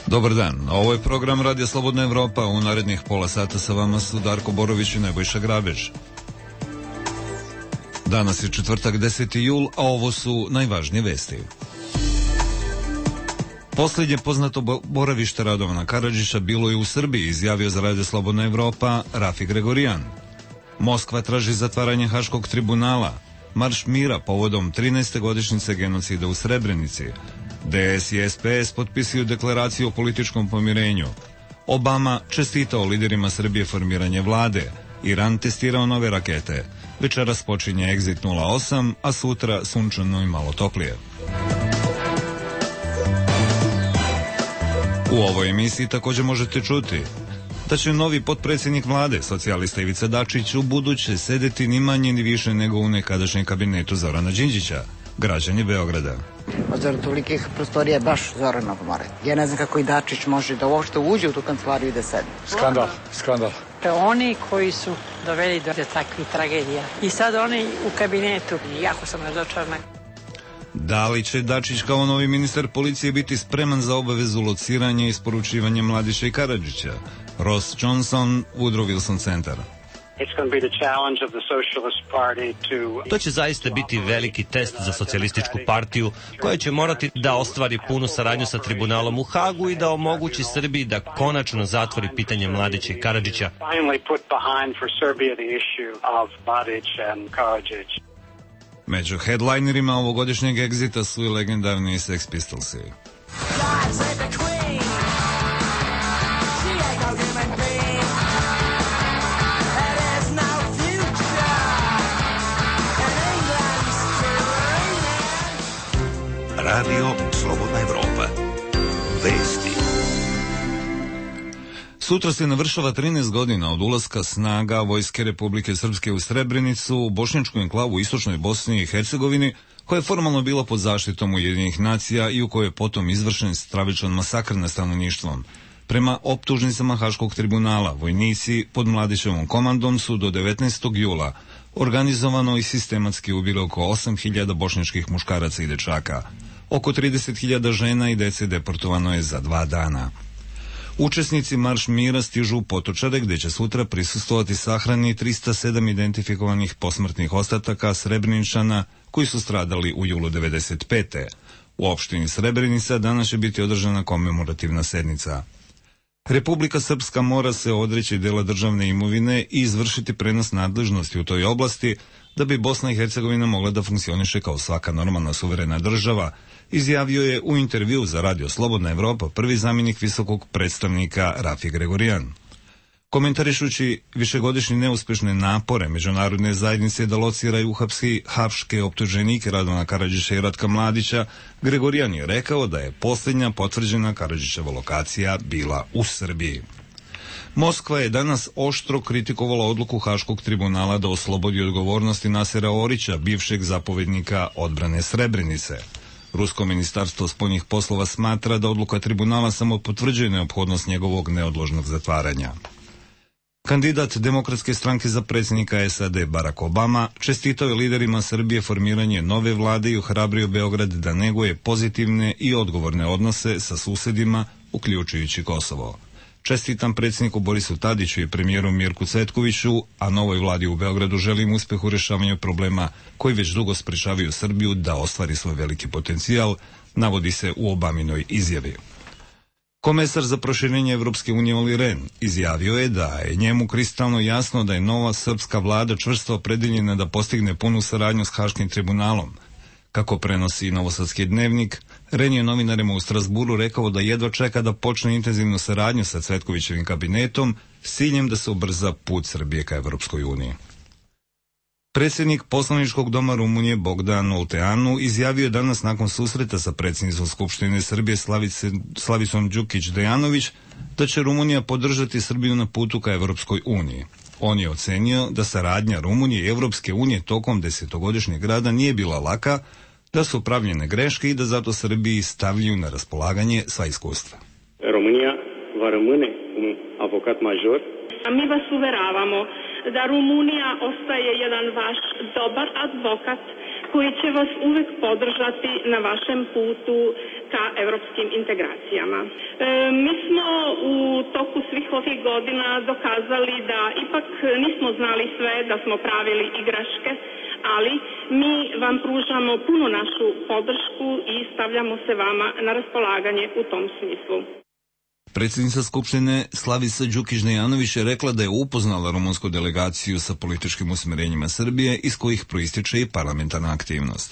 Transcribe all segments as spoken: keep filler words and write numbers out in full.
Dobar dan, ovo je program Radija Slobodna Evropa. U narednih pola sata sa vama su Darko Borović i Nebojša Grabež. Danas je četvrtak, deseti jul, a ovo su najvažnije vesti. Posljednje poznato boravište Radovana Karadžića bilo je u Srbiji, izjavio za Radio Slobodna Evropa Rafi Gregorijan. Moskva traži zatvaranje Haškog tribunala. Marš mira povodom trinaeste godišnjice genocida u Srebrenici. D S i S P S potpisuju deklaraciju o političkom pomirenju. Obama čestitao liderima Srbije formiranje vlade. Iran testirao nove rakete. Večeras počinje Exit nula osam, a sutra sunčano i malo toplije. U ovoj emisiji također možete čuti da će novi potpredsjednik vlade, socijalista Ivica Dačić, u buduće sedeti ni manje ni više nego u nekadašnjem kabinetu Zorana Đinđića, građani Beograda. Od zora tolikih prostorija je baš Zoranov more. Ja ne znam kako i Dačić može da uopšte uđe u tu kancelariju i da sedne. Skandal, skandal. Oni koji su doveli do takvih tragedija. I sad oni u kabinetu, jako sam razočarana. Da li će Dačić kao novi ministar policije biti spreman za obavezu lociranja i isporučivanja Mladića i Karadžića? Ross Johnson, Woodrow Wilson Center. To će zaista biti veliki test za socijalističku partiju, koja će morati da ostvari punu saradnju sa tribunalom u Hagu i da omogući Srbiji da konačno zatvori pitanje Mladića i Karadžića. Među headlinerima ovogodišnjeg Exita su i legendarni Sex Pistolsi. Radio Slobodna Evropa. Vesti. Sutra se navršava trinaest godina od ulaska snaga Vojske Republike Srpske u Srebrenicu, u bošnjačku enklavu u istočnoj Bosni i Hercegovini, koja je formalno bila pod zaštitom Ujedinjenih nacija i u kojoj je potom izvršen stravičan masakr nad stanovništvom. Prema optužnicama Haškog tribunala, vojnici pod Mladićevom komandom su do devetnaestog jula organizovano i sistematski ubili oko osam hiljada bošnjačkih muškaraca i dečaka. Oko trideset hiljada žena i dece deportovano je za dva dana. Učesnici Marš mira stižu u Potočare, gde će sutra prisustvovati sahrani trista sedam identifikovanih posmrtnih ostataka Srebreničana koji su stradali u julu devedeset pete. U opštini Srebrenica danas će biti održana komemorativna sednica. Republika Srpska mora se odreći dela državne imovine i izvršiti prenos nadležnosti u toj oblasti da bi Bosna i Hercegovina mogla da funkcioniše kao svaka normalna suverena država, izjavio je u intervju za Radio Slobodna Evropa prvi zamjenik visokog predstavnika Rafi Gregorijan. Komentarišući višegodišnje neuspešne napore međunarodne zajednice da locira i uhapsi haške optuženike Radovana Karadžića i Ratka Mladića, Gregorijan je rekao da je posljednja potvrđena Karadžićeva lokacija bila u Srbiji. Moskva je danas oštro kritikovala odluku Haškog tribunala da oslobodi odgovornosti Nasera Orića, bivšeg zapovednika odbrane Srebrenice. Rusko ministarstvo spoljnih poslova smatra da odluka tribunala samo potvrđuje neophodnost njegovog neodložnog zatvaranja. Kandidat Demokratske stranke za predsjednika S A D Barack Obama čestitao je liderima Srbije formiranje nove vlade i ohrabrio Beograd da neguje pozitivne i odgovorne odnose sa susedima, uključujući Kosovo. Čestitam predsjedniku Borisu Tadiću i premijeru Mirku Cvetkoviću, a novoj vladi u Beogradu želim uspeh u rješavanju problema koji već dugo sprečavaju Srbiju da ostvari svoj veliki potencijal, navodi se u Obaminoj izjavi. Komesar za proširenje Evropske unije Olli Rehn izjavio je da je njemu kristalno jasno da je nova srpska vlada čvrsto opredeljena da postigne punu saradnju s Haškim tribunalom. Kako prenosi Novosadski dnevnik, Rehn je novinarima u Strasburu rekao da jedva čeka da počne intenzivnu saradnju sa Cvetkovićevim kabinetom s ciljem da se ubrza put Srbije ka Evropskoj uniji. Predsjednik poslaničkog doma Rumunije Bogdan Olteanu izjavio je danas nakon susreta sa predsjednicom Skupštine Srbije Slavice, Slavicom Đukić-Dejanović da će Rumunija podržati Srbiju na putu ka Evropskoj uniji. On je ocenio da saradnja Rumunije i Evropske unije tokom desetogodišnjeg rada nije bila laka, da su pravljene greške i da zato Srbiji stavljaju na raspolaganje sva iskustva. Rumunija va rămâne un avocat major. A mi vas uveravamo da Rumunija ostaje jedan vaš dobar advokat koji će vas uvek podržati na vašem putu ka evropskim integracijama. E, mi smo u toku svih ovih godina dokazali da ipak nismo znali sve, da smo pravili igraške, ali mi vam pružamo punu našu podršku i stavljamo se vama na raspolaganje u tom smislu. Predsjednica Skupštine Slavica Đukić-Dejanović je rekla da je upoznala rumunsku delegaciju sa političkim usmjerenjima Srbije iz kojih proističe i parlamentarna aktivnost.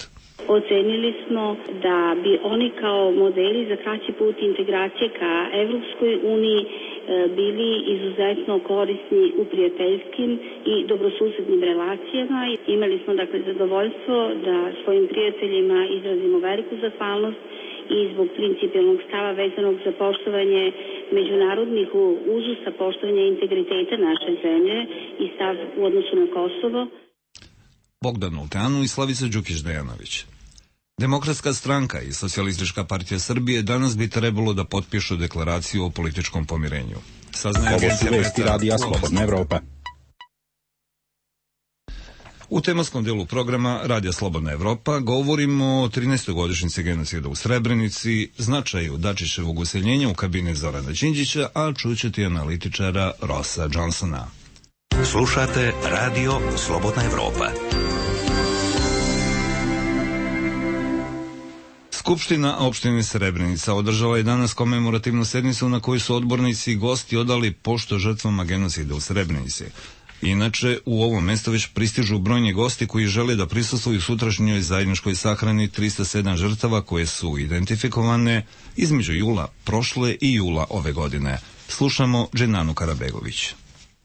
Ocenili smo da bi oni kao modeli za kraći put integracije ka Evropskoj uniji bili izuzetno korisni u prijateljskim i dobrosusednim relacijama. Imali smo dakle zadovoljstvo da svojim prijateljima izrazimo veliku zahvalnost i zbog principijelnog stava vezanog za poštovanje međunarodnih uzusa, poštovanje integriteta naše zemlje i stav u odnosu na Kosovo. Bogdan Olteanu i Slavica Đukić-Dejanović. Demokratska stranka i Socijalistička partija Srbije danas bi trebalo da potpišu deklaraciju o političkom pomirenju. Saznaje Ovo su vesti radija Slobodna Evropa. U tematskom delu programa Radija Slobodna Evropa govorimo o trinaestoj godišnjici genocida u Srebrenici, značaju Dačićevog useljenja u kabinet Zorana Đinđića, a čućete i analitičara Rossa Johnsona. Slušate Radio Slobodna Evropa. Skupština opštine Srebrenica održala je danas komemorativnu sednicu na kojoj su odbornici i gosti odali pošto žrtvama genocida u Srebrenici. Inače, u ovo mesto već pristižu brojni gosti koji žele da prisustvuju sutrašnjoj zajedničkoj sahrani tristo sedam žrtava koje su identifikovane između jula prošle i jula ove godine. Slušamo Dženanu Karabegović.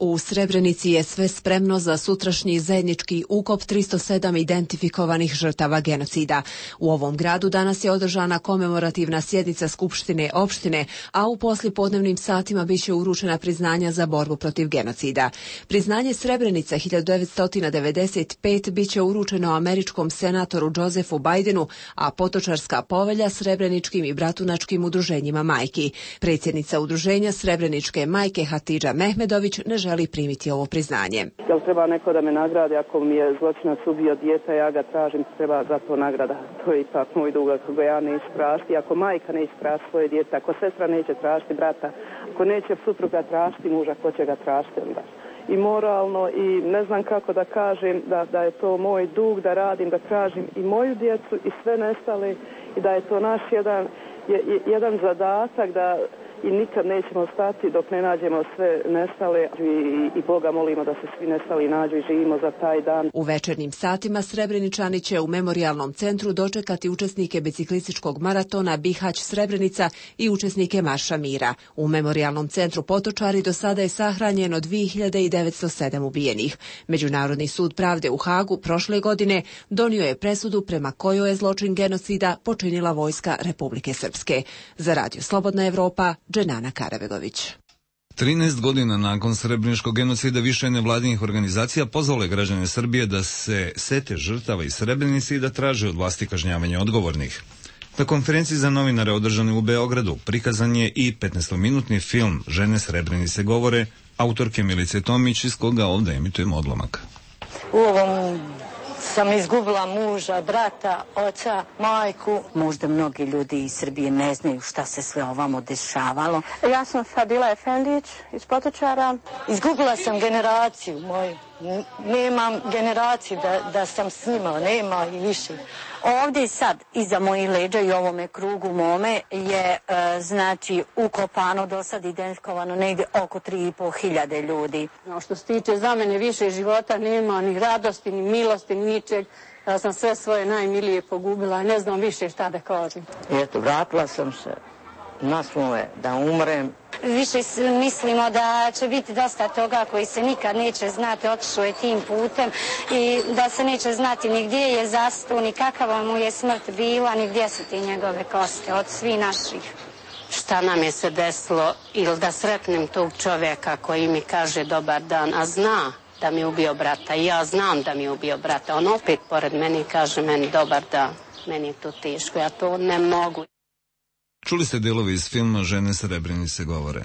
U Srebrenici je sve spremno za sutrašnji zajednički ukop tristo sedam identifikovanih žrtava genocida. U ovom gradu danas je održana komemorativna sjednica Skupštine opštine, a u poslijepodnevnim satima biće uručena priznanja za borbu protiv genocida. Priznanje Srebrenica hiljadu devetsto devedeset pete biće uručeno američkom senatoru Josefu Bajdenu, a Potočarska povelja Srebreničkim i Bratunačkim udruženjima majki. Predsjednica udruženja Srebreničke majke Hatidža Mehmedović ne želi želi primiti ovo priznanje. Jel treba neko da me nagradi ako mi je zločinac ubio dijete, ja ga tražim, treba za to nagrada. To je ipak moj dug, ako ga ja neću tražiti, ako majka neće tražiti svoje dijete, ako sestra neće tražiti brata, ako neće supruga tražiti muža, ko će ga tražiti onda. I moralno i ne znam kako da kažem da, da je to moj dug, da radim, da tražim i moju djecu i sve nestale i da je to naš jedan, jedan zadatak da i nikad nećemo stati dok ne nađemo sve nestale i, i Boga molimo da se svi nestali nađu i živimo za taj dan. U večernjim satima Srebreničani će u memorijalnom centru dočekati učesnike biciklističkog maratona Bihać Srebrenica i učesnike Marša mira. U memorijalnom centru Potočari do sada je sahranjeno dvije hiljade devetsto sedam ubijenih. Međunarodni sud pravde u Hagu prošle godine donio je presudu prema kojoj je zločin genocida počinila vojska Republike Srpske. Za Radio Slobodna Evropa, Dženana Karabegović. trinaest godina nakon srebreničkog genocida više nevladinih organizacija pozvale građane Srbije da se sete žrtava iz Srebrenice i da traže od vlasti kažnjavanje odgovornih. Na konferenciji za novinare održane u Beogradu prikazan je i petnaestominutni film Žene Srebrenice govore autorke Milice Tomić, iz koga ovdje emitujemo odlomak. U ovom sam izgubila muža, brata, oca, majku. Možda mnogi ljudi iz Srbije ne znaju šta se sve ovamo dešavalo. Ja sam Fadila Efendić iz Potočara. Izgubila sam generaciju moju. Nemam generaciju da, da sam s njima, nema i više. Ovdje sad, iza mojih leđa i ovome krugu mome je, e, znači, ukopano, do sad identifikovano negdje oko tri i po hiljade ljudi. No, što se tiče za mene više života, nema ni radosti, ni milosti, ni ničeg. Ja sam sve svoje najmilije pogubila i ne znam više šta da kažem. Eto, vratila sam se na svoje da umrem. Više mislimo da će biti dosta toga koji se nikad neće znati, otišao je tim putem i da se neće znati ni gdje je zastao, ni kakava mu je smrt bila, ni gdje su ti njegove koste od svih naših. Šta nam je se desilo ili da sretnem tog čovjeka koji mi kaže dobar dan, a zna da mi je ubio brata i ja znam da mi je ubio brata. On opet pored meni kaže meni dobar dan, meni je to teško, ja to ne mogu. Čuli ste delove iz filma Žene Srebrenice govore.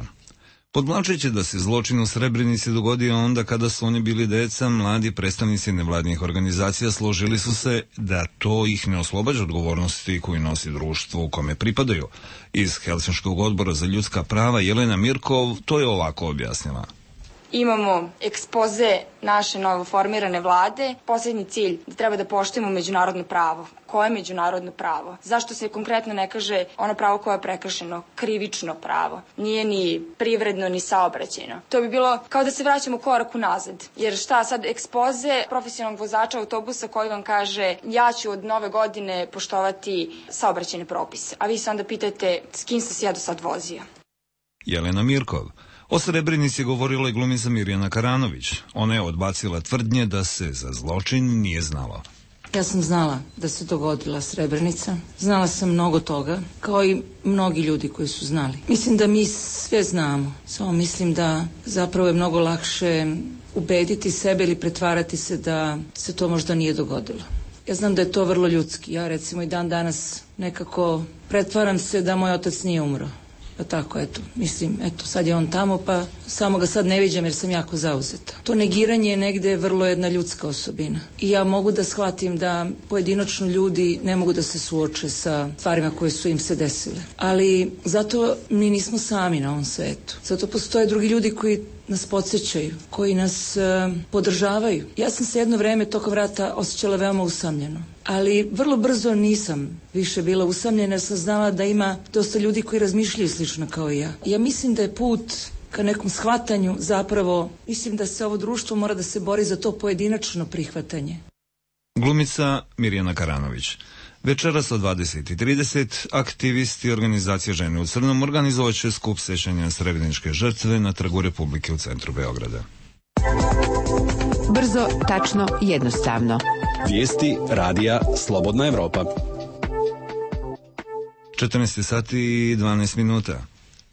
Podvlačeći da se zločin u Srebrenici dogodio onda kada su oni bili deca, mladi predstavnici nevladnih organizacija složili su se da to ih ne oslobađa odgovornosti koju nosi društvo u kome pripadaju. Iz Helsinškog odbora za ljudska prava Jelena Mirkov to je ovako objasnila. Imamo ekspoze naše novoformirane vlade. Poslednji cilj da treba da poštujemo međunarodno pravo. Koje je međunarodno pravo? Zašto se konkretno ne kaže ono pravo koje je prekršeno? Krivično pravo. Nije ni privredno, ni saobraćajno. To bi bilo kao da se vraćamo korak unazad. Jer šta sad ekspoze profesionalnog vozača autobusa koji vam kaže ja ću od nove godine poštovati saobraćajne propise. A vi se onda pitate s kim sam se ja do sad vozio? Jelena Mirkov. O Srebrenici je govorila i glumica Mirjana Karanović. Ona je odbacila tvrdnje da se za zločin nije znalo. Ja sam znala da se dogodila Srebrenica. Znala sam mnogo toga, kao i mnogi ljudi koji su znali. Mislim da mi sve znamo, samo mislim da zapravo je mnogo lakše ubediti sebe ili pretvarati se da se to možda nije dogodilo. Ja znam da je to vrlo ljudski. Ja recimo i dan danas nekako pretvaram se da moj otac nije umro. Pa tako, eto, mislim, eto, sad je on tamo, pa samo ga sad ne viđam jer sam jako zauzeta. To negiranje je negde vrlo jedna ljudska osobina. I ja mogu da shvatim da pojedinačno ljudi ne mogu da se suoče sa stvarima koje su im se desile. Ali zato mi nismo sami na ovom svetu. Zato postoje drugi ljudi koji nas podsjećaju, koji nas uh, podržavaju. Ja sam se jedno vreme tokom rata osjećala veoma usamljeno. Ali vrlo brzo nisam više bila usamljena jer sam znala da ima dosta ljudi koji razmišljaju slično kao i ja. Ja mislim da je put ka nekom shvatanju zapravo, mislim da se ovo društvo mora da se bori za to pojedinačno prihvatanje. Glumica Mirjana Karanović. Večeras od dvadeset i trideset aktivisti organizacije Žene u crnom organizovat će skup sećanja srebreničke žrtve na Trgu Republike u centru Beograda. Brzo, tačno, jednostavno. Vijesti radija Slobodna Evropa. četrnaest sati i dvanaest minuta.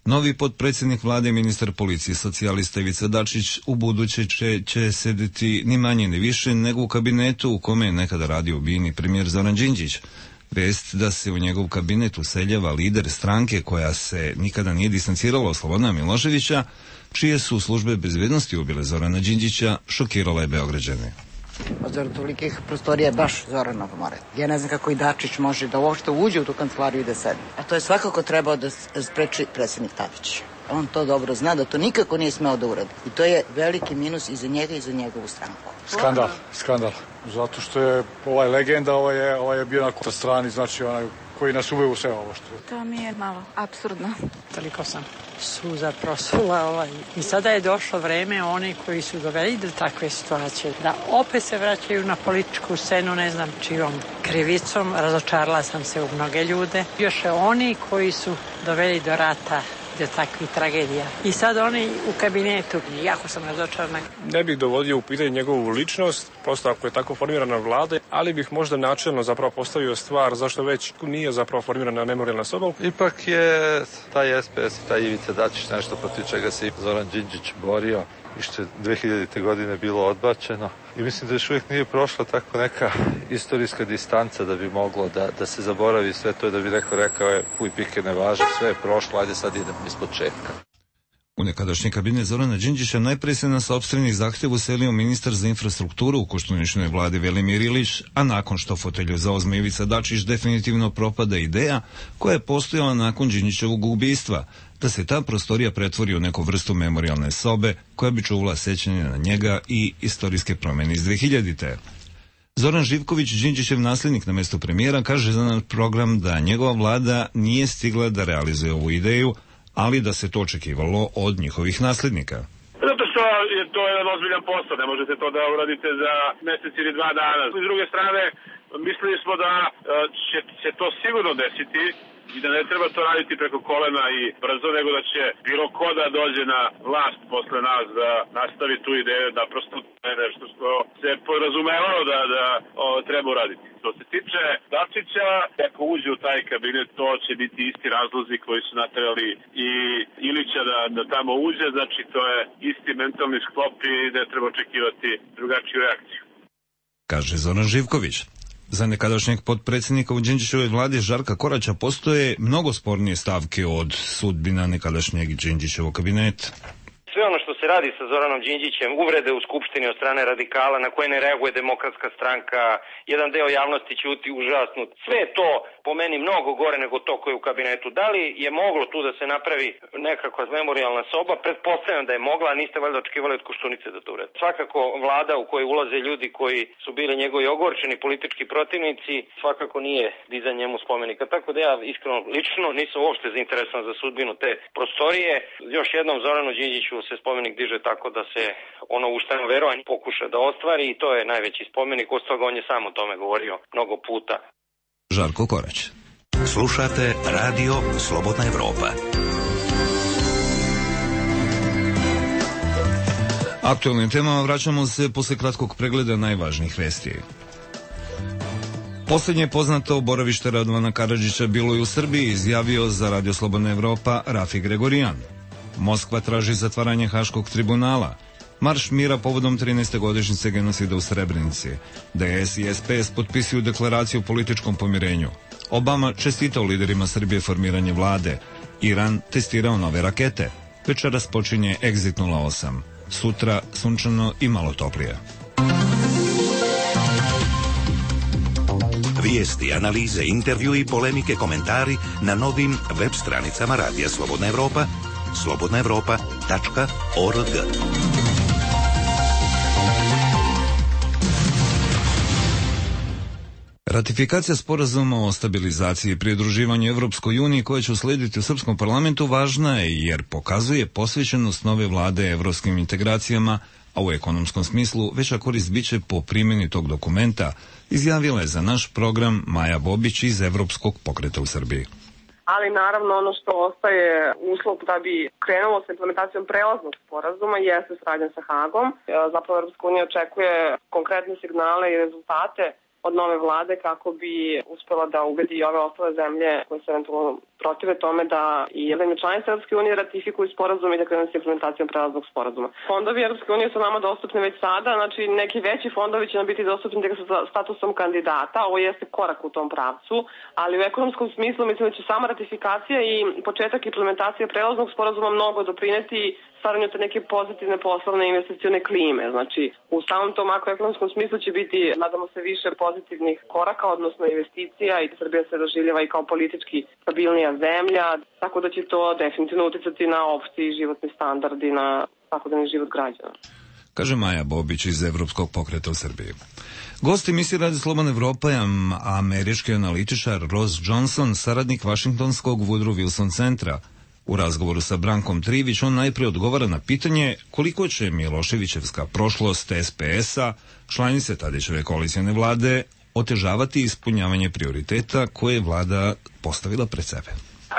Novi potpredsjednik vlade i ministar policije socijalista Ivica Dačić u buduće će, će sedeti ni manje ni više nego u kabinetu u kome je nekada radio ubijeni premijer Zoran Đinđić. Vest da se u njegov kabinet useljava lider stranke koja se nikada nije distancirala od Slobodana Miloševića, čije su službe bezbednosti ubile Zorana Đinđića, šokirala je Beograđane. Od tolikih prostorija je baš Zorana pomore. Ja ne znam kako i Dačić može da uopšte uđe u tu kancelariju i da sedi. A to je svakako trebao da spreči predsjednik Tadić. On to dobro zna da to nikako nije smeo da uradi. I to je veliki minus i za njega i za njegovu stranku. Skandal, skandal. Zato što je ovaj legenda, ovaj je, ovaj je bio na strani, znači onaj koji nas uveo u sve ovo što... To mi je malo apsurdno. Toliko sam suza prosula ovaj. I sada je došlo vreme oni koji su doveli do takve situacije da opet se vraćaju na političku scenu, ne znam čijom krivicom. Razočarala sam se u mnoge ljude. Još je oni koji su doveli do rata, do takvih tragedija. I sad oni u kabinetu, jako sam razočarana. Ne bih dovodio u pitanje njegovu ličnost, prosto ako je tako formirana vlada, ali bih možda načelno zapravo postavio stvar zašto već nije zapravo formirana memorijalna soba. Ipak je taj S P S i taj Ivica Dačić nešto protiv čega se i Zoran Đinđić borio i što je dve hiljadite godine bilo odbačeno. I mislim da još uvijek nije prošla tako neka istorijska distanca da bi moglo da, da se zaboravi sve to i da bi neko rekao je puj pike ne važe, sve je prošlo, ajde sad idemo iz početka. U nekadašnji kabinet Zorana Đinđića najpre se na sopstvenih zahtjev uselio ministar za infrastrukturu u Koštuničnoj vladi Velimir Ilić, a nakon što fotelju zauzme Ivica Dačić definitivno propada ideja koja je postojala nakon Đinđićevog ubistva, da se ta prostorija pretvori u neku vrstu memorijalne sobe koja bi čuvala sećanje na njega i istorijske promjene iz dve hiljadite. Zoran Živković, Đinđićev nasljednik na mjestu premijera, kaže za naš program da njegova vlada nije stigla da realizuje ovu ideju, ali da se to očekivalo od njihovih nasljednika. Zato što je to jedan ozbiljan posao, ne možete to da uradite za mjesec ili dva dana. S druge strane, mislili smo da će se to sigurno desiti i da ne treba to raditi preko kolena i brzo, nego da će bilo ko da dođe na vlast posle nas da nastavi tu ideju, da prosto je nešto što se podrazumevalo da, da o, treba uraditi. Što se tiče Dačića, ako uđe u taj kabinet, to će biti isti razlozi koji su naterali i Ilića da, da tamo uđe, znači to je isti mentalni sklop i ne treba očekivati drugačiju reakciju. Kaže Zoran Živković. Za nekadašnjeg potpredsjednika u Đinđićevoj vladi Žarka Koraća postoje mnogo spornije stavke od sudbina nekadašnjeg Đinđićevog kabineta. Sve ono što se radi sa Zoranom Đinđićem, uvrede u Skupštini od strane radikala na koje ne reaguje Demokratska stranka, jedan deo javnosti ćuti užasnut. Sve je to po meni mnogo gore nego to koje je u kabinetu. Da li je moglo tu da se napravi nekakva memorijalna soba? Pretpostavljam da je mogla, a niste valjda očekivali od Koštunice da to urede. Svakako vlada u kojoj ulaze ljudi koji su bili njegovi ogorčeni politički protivnici, svakako nije dizanje njemu spomenika. Tako da ja iskreno lično nisam uopšte zainteresovan za sudbinu te prostorije. Još jednom Zoranu Đinđiću se spomenik diže tako da se ono ušteno verovanje pokuša da ostvari i to je najveći spomenik. Od toga on je sam o tome govorio mnogo puta. Žarko Korać. Slušate Radio Slobodna Evropa. Aktualnim temama vraćamo se posle kratkog pregleda najvažnijih vesti. Poslednje poznato boravište Radovana Karadžića bilo je u Srbiji, izjavio za Radio Slobodna Evropa Rafi Gregorijan. Moskva traži zatvaranje Haškog tribunala. Marš mira povodom trinaeste godišnjice genocida u Srebrenici. D S i S P S potpisuju deklaraciju o političkom pomirenju. Obama čestitao liderima Srbije formiranje vlade. Iran testirao nove rakete. Večeras počinje Exit nula osam. Sutra sunčano i malo toplije. Vijesti, analize, intervju i polemike, komentari na novim web stranicama Radija Slobodna Evropa, slobodna evropa tačka org. Ratifikacija sporazuma o stabilizaciji i pridruživanju Evropskoj uniji koja će uslediti u srpskom parlamentu važna je jer pokazuje posvećenost nove vlade evropskim integracijama, a u ekonomskom smislu veća korist biće po primjeni tog dokumenta, izjavila je za naš program Maja Bobić iz Evropskog pokreta u Srbiji. Ali naravno ono što ostaje uslov da bi krenulo sa implementacijom prelaznog sporazuma jeste saradnja sa Hagom. Zapravo Evropska unija očekuje konkretne signale i rezultate od nove vlade kako bi uspela da ubedi i ove ostale zemlje koje se eventualno protive tome da i jedne članice Evropske unije ratifikuju sporazum i da krenu sa implementacijom prelaznog sporazuma. Fondovi Evropske unije su nama dostupni već sada, znači neki veći fondovi će nam biti dostupni tek sa statusom kandidata, ovo jeste korak u tom pravcu, ali u ekonomskom smislu mislim da će sama ratifikacija i početak implementacije prelaznog sporazuma mnogo doprineti stvaranju te neke pozitivne poslovne investicione klime. Znači, u samom tom makroekonomskom smislu će biti, nadamo se, više pozitivnih koraka, odnosno investicija i Srbija se doživljava i kao politički stabilnija zemlja, tako da će to definitivno uticati na opšti životni standard i na svakodnevni život građana. Kaže Maja Bobić iz Evropskog pokreta u Srbiji. Gost emisije Radio Slobodna Evropa je američki analitičar Ross Johnson, saradnik Vašingtonskog Woodrow Wilson centra. U razgovoru sa Brankom Trivić on najprije odgovara na pitanje koliko će Miloševićevska prošlost S P S-a, članice Tadićeve koalicijne vlade, otežavati ispunjavanje prioriteta koje je vlada postavila pred sebe.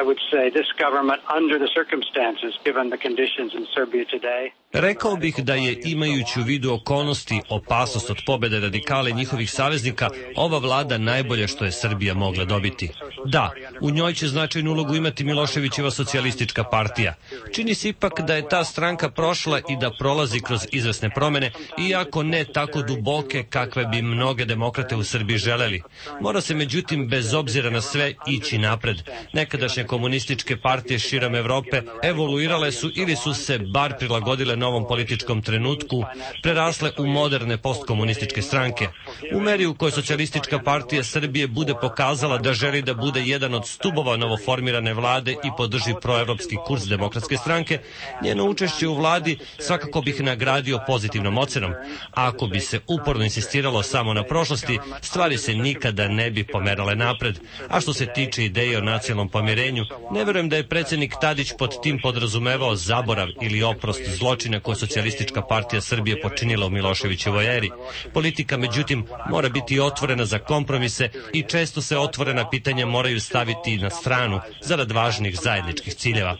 I would say this government, under the circumstances, given the conditions in Serbia today, Rekao bih da je, imajući u vidu okolnosti, opasnost od pobede radikale i njihovih saveznika, ova vlada najbolje što je Srbija mogla dobiti. Da, u njoj će značajnu ulogu imati Miloševićeva socijalistička partija. Čini se ipak da je ta stranka prošla i da prolazi kroz izvesne promene, iako ne tako duboke kakve bi mnoge demokrate u Srbiji želeli. Mora se međutim, bez obzira na sve, ići napred. Nekadašnje komunističke partije širom Evrope evoluirale su ili su se bar prilagodile novom političkom trenutku, prerasle u moderne postkomunističke stranke. U meri u kojoj socijalistička partija Srbije bude pokazala da želi da bude jedan od stubova novoformirane vlade i podrži proevropski kurs demokratske stranke, njeno učešće u vladi svakako bih nagradio pozitivnom ocenom. A ako bi se uporno insistiralo samo na prošlosti, stvari se nikada ne bi pomerale napred. A što se tiče ideje o nacionalnom pomirenju, ne verujem da je predsjednik Tadić pod tim podrazumevao zaborav ili oprost zločina koje socijalistička partija Srbije počinila u Miloševićevoj eri. Politika, međutim, mora biti otvorena za kompromise i često se otvorena pitanja moraju staviti na stranu zarad važnih zajedničkih ciljeva.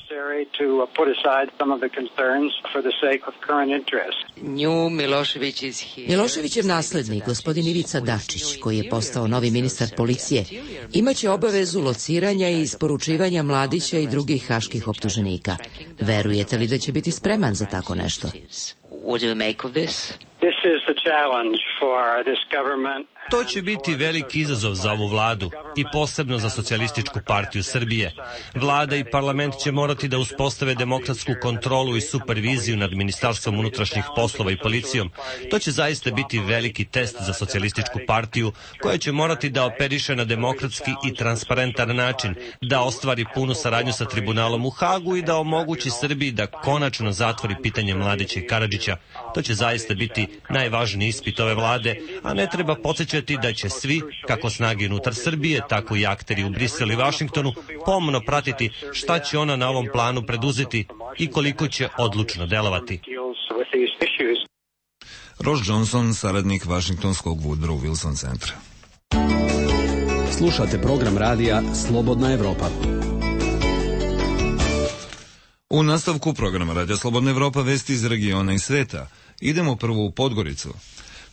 Miloševićev naslednik, gospodin Ivica Dačić, koji je postao novi ministar policije, imaće obavezu lociranja i isporučivanja Mladića i drugih haških optuženika. Verujete li da će biti spreman za tako nešto? This To će biti veliki izazov za ovu vladu i posebno za Socijalističku partiju Srbije. Vlada i parlament će morati da uspostave demokratsku kontrolu i superviziju nad Ministarstvom unutrašnjih poslova i policijom. To će zaista biti veliki test za Socijalističku partiju koja će morati da operiše na demokratski i transparentan način, da ostvari punu saradnju sa tribunalom u Hagu i da omogući Srbiji da konačno zatvori pitanje Mladića i Karadžića. To će zaista biti najvažniji ispit ove vlade, a ne treba podsjećati da će svi, kako snage unutar Srbije, tako i akteri u Briselu i Vašingtonu, pomno pratiti šta će ona na ovom planu preduzeti i koliko će odlučno delovati. Ross Johnson, saradnik Vašingtonskog Woodrow Wilson centra. Slušate program radija Slobodna Evropa. U nastavku programa Radija Slobodna Evropa vesti iz regiona i sveta. Idemo prvo u Podgoricu.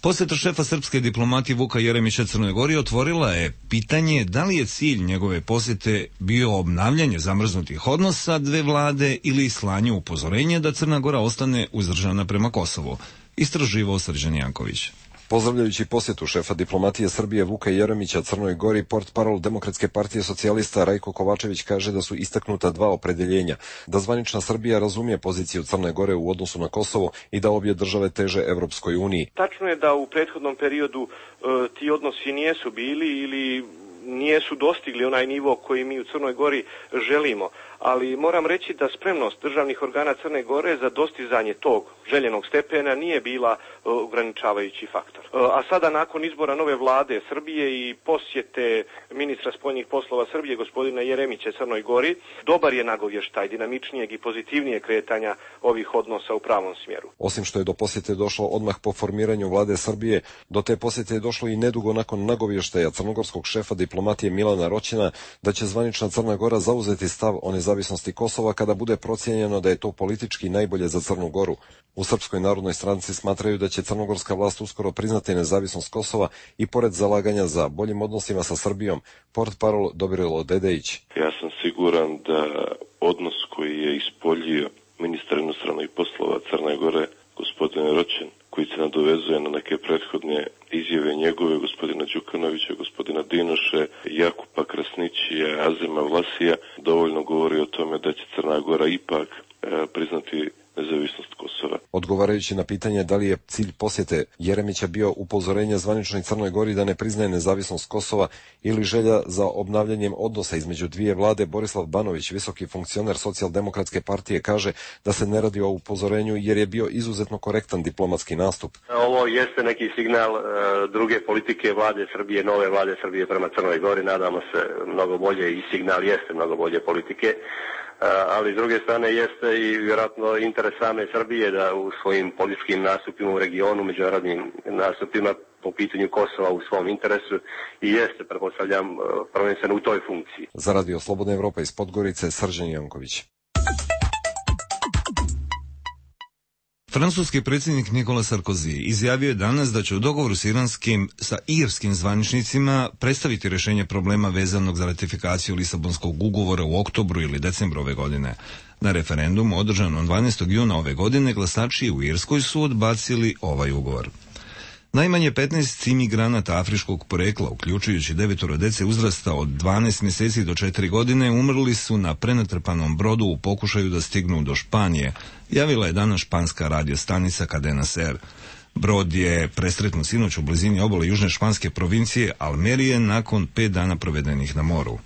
Posjeta šefa srpske diplomatije Vuka Jeremića Crnoj Gori otvorila je pitanje da li je cilj njegove posjete bio obnavljanje zamrznutih odnosa dve vlade ili slanje upozorenja da Crna Gora ostane uzdržana prema Kosovu. Istraživao Srđan Janković. Pozdravljajući posjetu šefa diplomatije Srbije Vuka Jeremića Crnoj Gori, portparol Demokratske partije socijalista Rajko Kovačević kaže da su istaknuta dva opredeljenja, da zvanična Srbija razumije poziciju Crne Gore u odnosu na Kosovo i da obje države teže Evropskoj uniji. Tačno je da u prethodnom periodu e, ti odnosi nijesu bili ili nijesu dostigli onaj nivo koji mi u Crnoj Gori želimo, ali moram reći da spremnost državnih organa Crne Gore za dostizanje tog željenog stepena nije bila ograničavajući faktor. A sada nakon izbora nove vlade Srbije i posjete ministra spoljnih poslova Srbije gospodina Jeremića Crnoj Gori, dobar je nagovještaj dinamičnijeg i pozitivnijeg kretanja ovih odnosa u pravom smjeru. Osim što je do posjete došlo odmah po formiranju vlade Srbije, do te posjete je došlo i nedugo nakon nagovještaja crnogorskog šefa diplomatije Milana Roćina da će zvanična Crna Gora zauzeti stav o nezavisnosti Kosova kada bude procijenjeno da je to politički najbolje za Crnu Goru. U Srpskoj narodnoj stranci smatraju da će crnogorska vlast uskoro priznati nezavisnost Kosova i pored zalaganja za boljim odnosima sa Srbijom, portparol Dobrilo Dedejić. Ja sam siguran da odnos koji je ispoljio ministar inostranih poslova Crne Gore, gospodin Roćin, koji se nadovezuje na neke prethodne izjave njegove, gospodina Đukanovića, gospodina Dinoše, Jakupa Krasnićija, Azema Vlasija, dovoljno govori o tome da će Crna Gora ipak e, priznati nezavisnost Kosova. Odgovarajući na pitanje da li je cilj posjete Jeremića bio upozorenje zvaničnoj Crnoj Gori da ne priznaje nezavisnost Kosova ili želja za obnavljanjem odnosa između dvije vlade, Borislav Banović, visoki funkcioner Socijaldemokratske partije, kaže da se ne radi o upozorenju jer je bio izuzetno korektan diplomatski nastup. Ovo jeste neki signal uh, druge politike vlade Srbije, nove vlade Srbije prema Crnoj Gori, nadamo se mnogo bolje i signal jeste mnogo bolje politike. Ali s druge strane jeste i vjerojatno interes same Srbije da u svojim političkim nastupima u regionu, međunarodnim nastupima po pitanju Kosova u svom interesu i jeste, pretpostavljam, prvenstveno u toj funkciji. Za Radio Slobodna Evropa iz Podgorice, Srđan Janković. Francuski predsjednik Nicolas Sarkozy izjavio je danas da će u dogovoru s iranskim, sa irskim zvaničnicima predstaviti rješenje problema vezanog za ratifikaciju Lisabonskog ugovora u oktobru ili decembru ove godine. Na referendumu održanom dvanaestog juna ove godine glasači u Irskoj su odbacili ovaj ugovor. Najmanje petnaest imigranata afričkog porekla, uključujući devetoro dece uzrasta od dvanaest mjeseci do četiri godine, umrli su na prenatrpanom brodu u pokušaju da stignu do Španije, javila je danas španska radio stanica Cadena Ser. Brod je presretnut sinoć u blizini obale južne španske provincije Almerije nakon pet dana provedenih na moru.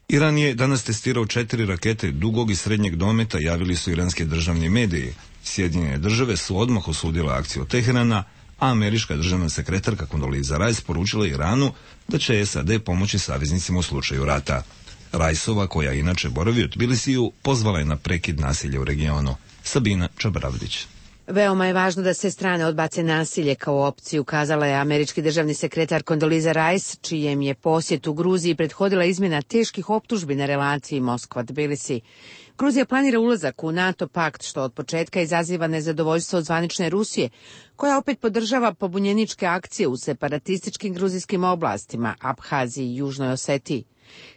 Iran je danas testirao četiri rakete dugog i srednjeg dometa, javili su iranski državni mediji. Sjedinjene države su odmah osudile akciju Teherana, a američka državna sekretarka Condoleezza Rice poručila Iranu da će S A D pomoći saveznicima u slučaju rata. Riceova, koja inače boravi u Tbilisiju, pozvala je na prekid nasilja u regionu. Sabina Čabravdić. Veoma je važno da se strane odbace nasilje kao opciju, kazala je američki državni sekretar Condoleezza Rice, čijem je posjet u Gruziji prethodila izmjena teških optužbi na relaciji Moskva-Tbilisi. Gruzija planira ulazak u NATO pakt, što od početka izaziva nezadovoljstvo od zvanične Rusije, koja opet podržava pobunjeničke akcije u separatističkim gruzijskim oblastima, Abhaziji i Južnoj Osetiji.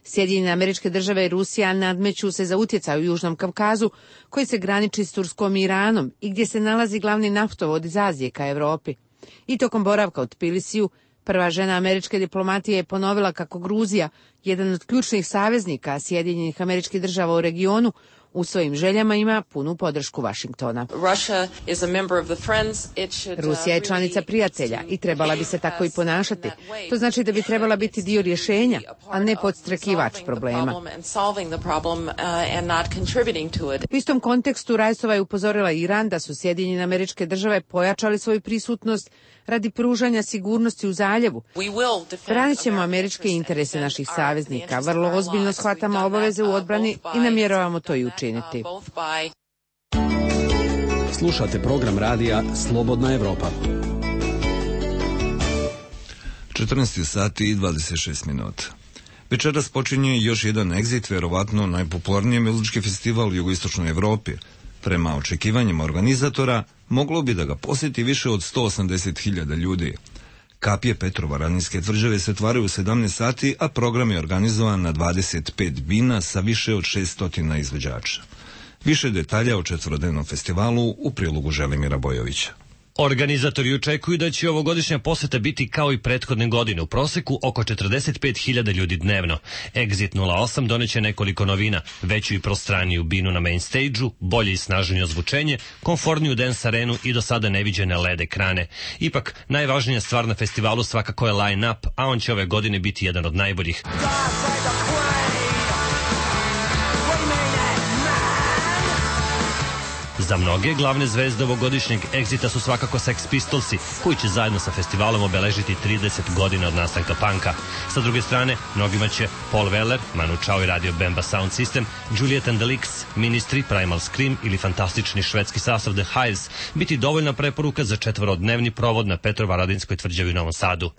Sjedinjene Američke Države i Rusija nadmeću se za utjecaj u Južnom Kavkazu, koji se graniči s Turskom i Iranom i gdje se nalazi glavni naftovod iz Azije ka Evropi. I tokom boravka u Tbilisiju, prva žena američke diplomatije je ponovila kako Gruzija, jedan od ključnih saveznika Sjedinjenih Američkih Država u regionu, u svojim željama ima punu podršku Vašingtona. Rusija je članica prijatelja i trebala bi se tako i ponašati. To znači da bi trebala biti dio rješenja, a ne podstrekivač problema. U istom kontekstu Rajsova je upozorila Iran da su Sjedinjene Američke Države pojačali svoju prisutnost radi pružanja sigurnosti u zaljevu. Branit ćemo američke interese naših saveznika, vrlo ozbiljno shvatamo obaveze u odbrani i namjeravamo to i učiniti. Slušate program radija Slobodna Evropa. četrnaest sati i dvadeset šest minuta. Večeras počinje još jedan Exit, verovatno najpopularniji muzički festival u jugoistočnoj Evropi. Prema očekivanjima organizatora, moglo bi da ga posjeti više od sto osamdeset hiljada ljudi. Kapije Petrovaradinske tvrđave se otvaraju u sedamnaest sati, a program je organizovan na dvadeset pet bina sa više od šeststo izvođača. Više detalja o četvorodnevnom festivalu u prilogu Želimira Bojovića. Organizatori očekuju da će ovogodišnja poseta biti kao i prethodne godine, u proseku oko četrdeset pet hiljada ljudi dnevno. Exit nula osam doneće nekoliko novina, veću i prostraniju binu na main stage-u, bolje i snažnije ozvučenje, komfortniju dance arenu i do sada neviđene L E D ekrane. Ipak, najvažnija stvar na festivalu svakako je line-up, a on će ove godine biti jedan od najboljih. Za mnoge glavne zvezde ovogodišnjeg Exita su svakako Sex Pistolsi, koji će zajedno sa festivalom obeležiti trideset godina od nastanka panka. Sa druge strane, mnogima će Paul Weller, Manu Chao i Radio Bemba Sound System, Juliet and the Leaks, Ministry, Primal Scream ili fantastični švedski sastav The Hives biti dovoljna preporuka za četvorodnevni provod na Petrovaradinskoj tvrđavi u Novom Sadu.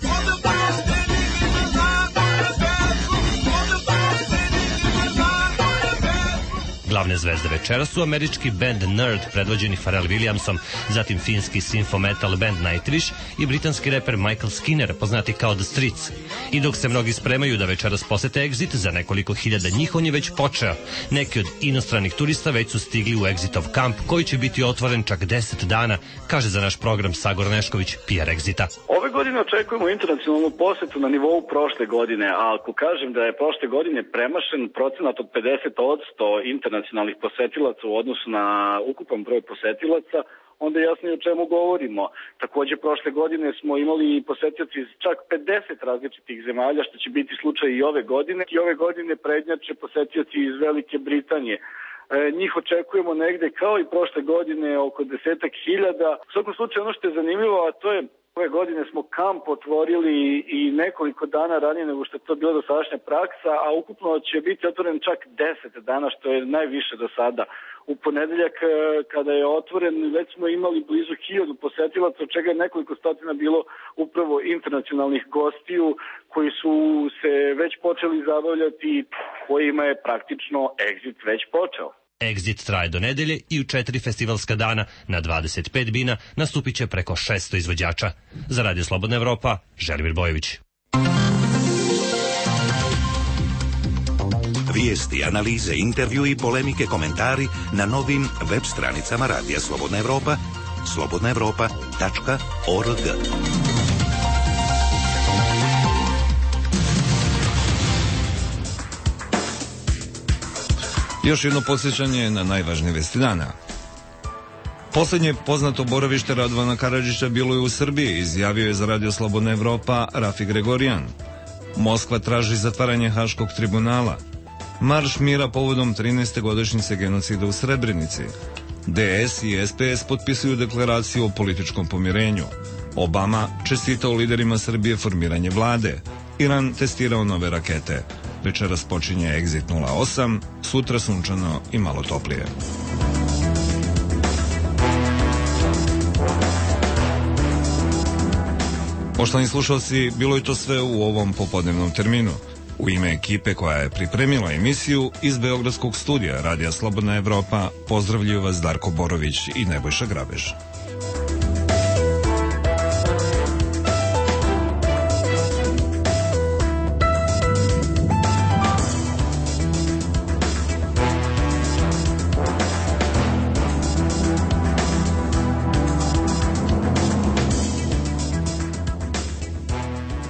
Glavne zvezde večera su američki band Nerd, predvođeni Pharrell Williamsom, zatim finski synth metal band Nightwish i britanski reper Michael Skinner, poznati kao The Streets. I dok se mnogi spremaju da večeras posete Exit, za nekoliko hiljada njih on je već počeo. Neki od inostranih turista već su stigli u Exitov kamp, koji će biti otvoren čak deset dana, kaže za naš program Sagor Nešković, P R Exita. Ove godine očekujemo internacionalnu posetu na nivou prošle godine, a ako kažem da je prošle godine premašen procenat od pedeset posto internacionalnih posetilaca u odnosu na ukupan broj posetilaca, onda je jasno i o čemu govorimo. Takođe, prošle godine smo imali posetioci iz čak pedeset različitih zemalja, što će biti slučaj i ove godine. I ove godine prednjače posetioci iz Velike Britanije. E, njih očekujemo negde kao i prošle godine oko desetak hiljada. U svakom slučaju ono što je zanimljivo, a to je ove godine smo kamp otvorili i nekoliko dana ranije nego što je to bila dosadašnja praksa, a ukupno će biti otvoren čak deset dana, što je najviše do sada. U ponedeljak kada je otvoren već smo imali blizu hiljadu posetilaca, od čega je nekoliko stotina bilo upravo internacionalnih gostiju koji su se već počeli zabavljati, kojima je praktično Exit već počeo. Exit traje do nedelje i u četiri festivalska dana na dvadeset pet bina nastupit će preko šesto izvođača. Za Radio Slobodna Evropa, Želimir Bojović. Vijesti, analize, intervju i polemike, komentari na novim web stranicama Radija Slobodna Evropa, slobodna evropa tačka org. Još jedno podsjećanje na najvažnije vesti dana. Poslednje poznato boravište Radovana Karadžića bilo je u Srbiji, izjavio je za Radio Slobodna Evropa Rafi Gregorijan. Moskva traži zatvaranje Haškog tribunala. Marš mira povodom trinaeste godišnjice genocida u Srebrenici. D S i S P S potpisuju deklaraciju o političkom pomirenju. Obama čestitao liderima Srbije formiranje vlade. Iran testirao nove rakete. Večeras počinje Exit nula osam, sutra sunčano i malo toplije. Poštovani slušalci, bilo je to sve u ovom popodnevnom terminu. U ime ekipe koja je pripremila emisiju iz Beogradskog studija Radija Slobodna Evropa pozdravljuju vas Darko Borović i Nebojša Grabež.